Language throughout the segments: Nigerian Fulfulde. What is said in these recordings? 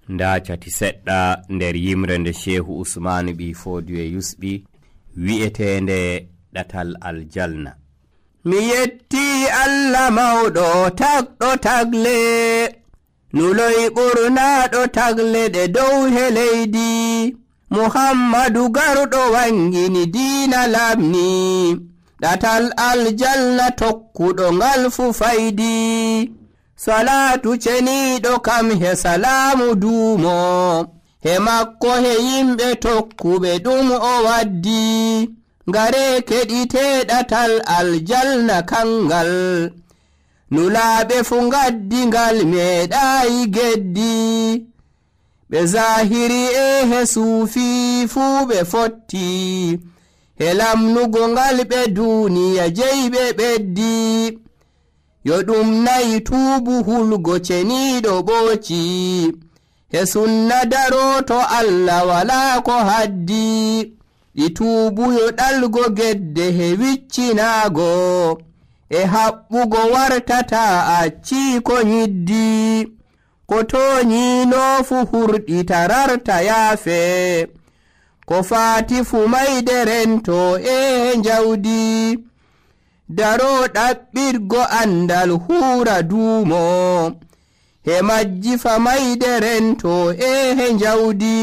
nda cati seɗɗa nder yimre nde Shehu Usmanu ɓi Fodiyo yusɓi wi'etende ɗatal aljanna. Mi yetti Allah mawɗo tagɗo tagle, nuloy ɓurnaɗo tagle ɗe dow he leydi. Muhammadu garɗo wangini diina lamni, ɗatal aljanna tokkuɗo ngal fu faydi. Salatu ceniɗo kam he salamu duumo, he makko he yimɓe tokkuɓe ɗum o waddi. Ngare keɗite ɗatal aljanna kangal, nulaɓe fu ngaddi ngal meɗayi geddi. Ɓe zahiri he suufi fuu ɓe fotti, he lamnugo ngal ɓe duniya jeyɓe ɓeddi. Yo ɗum nayi tuubu hulgo ceniɗo ɓooci, he sunna daroto Allah wala ko haddi. Ɗi tuubuyo ɗalgo gedde he wiccinago, e haɓɓugo wartata acci ko nyiddi. Ko toñino fu hurɗi tararta yaafe, ko faati fu mayde rento e njawdi. Daro ɗaɓɓirgo andal huura duumo, he majji fa mayde rento e njawdi.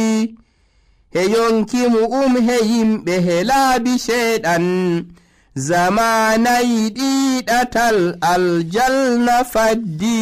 He yonki mu he yimɓe he laabi sheeɗan, zamanayi ɗiɗatal aljanna faddi.